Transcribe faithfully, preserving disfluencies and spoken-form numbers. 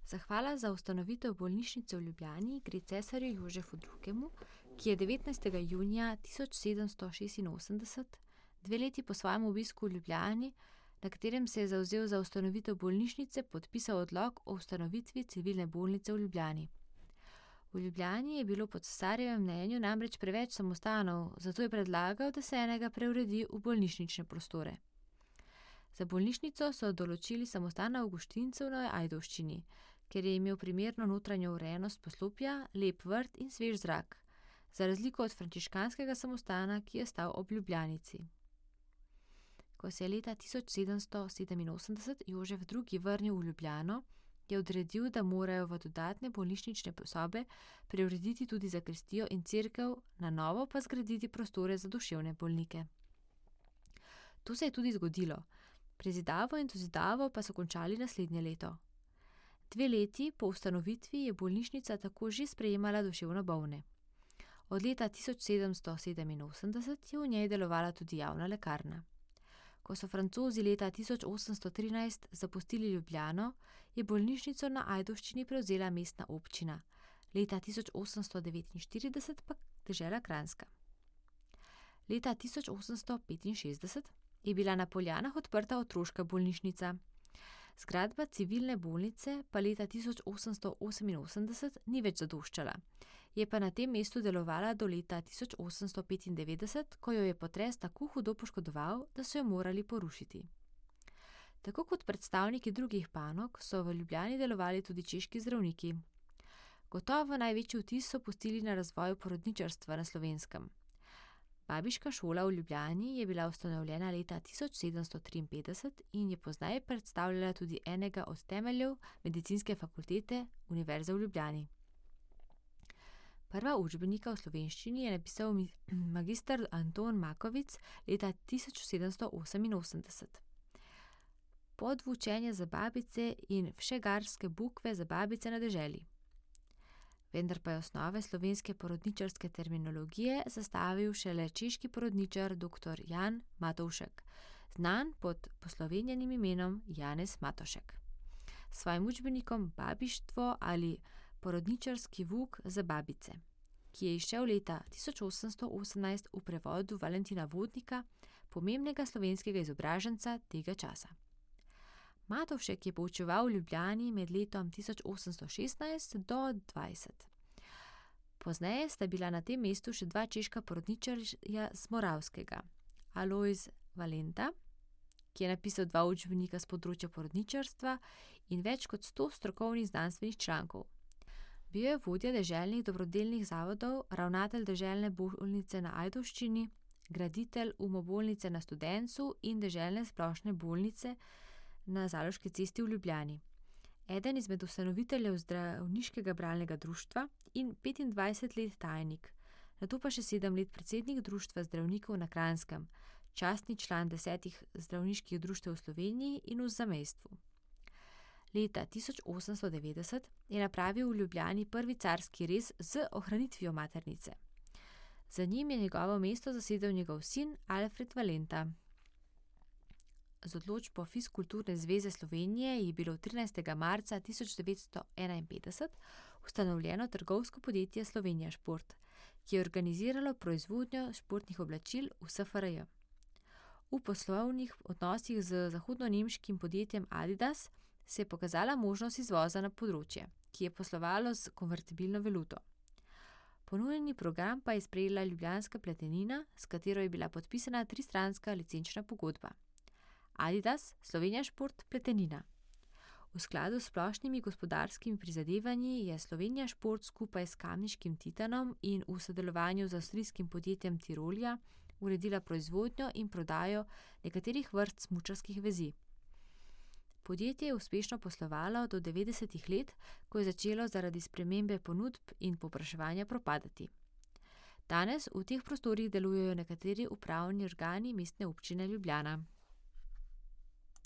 Zahvala za ustanovitev bolnišnice v Ljubljani gre cesarju Jožefu drugemu, ki je devetnajstega junija tisoč sedemsto šestinosemdeset, dve leti po svojem obisku v Ljubljani, na katerem se je zavzel za ustanovitev bolnišnice, podpisal odlok o ustanovitvi civilne bolnice v Ljubljani. V Ljubljani je bilo po cesarjevem mnenju namreč preveč samostanov, zato je predlagal, da se enega preuredi v bolnišnične prostore. Za bolnišnico so določili samostan Avguštincev na Ajdovščini, ker je imel primerno notranjo urejenost poslopja, lep vrt in svež zrak, za razliko od frančiškanskega samostana, ki je stal ob Ljubljanici. Ko se je leta tisoč sedemsto sedeminosemdeset Jožef drugi vrnil v Ljubljano, je odredil, da morajo v dodatne bolnišnične sobe preurediti tudi zakristijo in cerkev, na novo pa zgraditi prostore za duševne bolnike. To se je tudi zgodilo. Prezidavo in dozidavo pa so končali naslednje leto. Dve leti po ustanovitvi je bolnišnica tako že sprejemala duševno bolne. Od leta tisoč sedemsto sedeminosemdeset je v njej delovala tudi javna lekarna. Ko so Francozi leta tisoč osemsto trinajst zapustili Ljubljano, je bolnišnico na Ajdovščini prevzela mestna občina, leta tisoč osemsto devetinštirideset pa dežela Kranjska. Leta tisoč osemsto petinšestdeset je bila na Poljanah odprta otroška bolnišnica. Zgradba civilne bolnice pa leta tisoč osemsto oseminosemdeset ni več zadoščala, je pa na tem mestu delovala do leta tisoč osemsto petindevetdeset, ko jo je potres tako hudo poškodoval, da so jo morali porušiti. Tako kot predstavniki drugih panog so v Ljubljani delovali tudi češki zdravniki. Gotovo največji vtis so pustili na razvoju porodničarstva na Slovenskem. Babiška šola v Ljubljani je bila ustanovljena leta tisoč sedemsto triinpetdeset in je pozneje predstavljala tudi enega od temeljev medicinske fakultete Univerze v Ljubljani. Prva učbenika v slovenščini je napisal magister Anton Makovic leta tisoč sedemsto oseminosemdeset. Podvučenje za babice in všegarske bukve za babice na deželi. Vendar pa je osnove slovenske porodničarske terminologije zastavil šele češki porodničar doktor Jan Matovšek, znan pod poslovenjenim imenom Janez Matošek. S svojim učbenikom Babištvo ali porodničarski vuk za babice, ki je izšel leta tisoč osemsto osemnajst v prevodu Valentina Vodnika, pomembnega slovenskega izobraženca tega časa. Matovšek je poučeval v Ljubljani med letom tisoč osemsto šestnajst do dvajset. Pozneje sta bila na tem mestu še dva češka porodničarja z Moravskega, Alojz Valenta, ki je napisal dva učbenika s področja porodničarstva in več kot sto strokovnih znanstvenih člankov. Bil je vodja deželnih dobrodelnih zavodov, ravnatelj deželne bolnice na Ajdovščini, graditelj umobolnice na Studencu in deželne splošne bolnice na Zaloški cesti v Ljubljani. Eden izmed ustanoviteljev zdravniškega bralnega društva in petindvajset let tajnik, nato pa še sedem let predsednik društva zdravnikov na Kranjskem, častni član desetih zdravniških društev v Sloveniji in v zamejstvu. Leta tisoč osemsto devetdeset je napravil v Ljubljani prvi carski rez z ohranitvijo maternice. Za njim je njegovo mesto zasedel njegov sin Alfred Valenta. Z odločbo Fiskulturne zveze Slovenije je bilo trinajstega marca tisoč devetsto enainpetdeset ustanovljeno trgovsko podjetje Slovenija Šport, ki je organiziralo proizvodnjo športnih oblačil v es fe er je. V poslovnih odnosih z zahodnonemškim podjetjem Adidas se je pokazala možnost izvoza na področje, ki je poslovalo s konvertibilno valuto. Ponujeni program pa je sprejela Ljubljanska pletenina, s katero je bila podpisana tristranska licenčna pogodba. Adidas, Slovenija Šport, pletenina. V skladu s splošnimi gospodarskimi prizadevanji je Slovenija Šport skupaj s kamniškim Titanom in v sodelovanju z avstrijskim podjetjem Tirolja uredila proizvodnjo in prodajo nekaterih vrst smučarskih vezi. Podjetje je uspešno poslovalo do devetdesetih let, ko je začelo zaradi spremembe ponudb in povpraševanja propadati. Danes v teh prostorih delujejo nekateri upravni organi Mestne občine Ljubljana.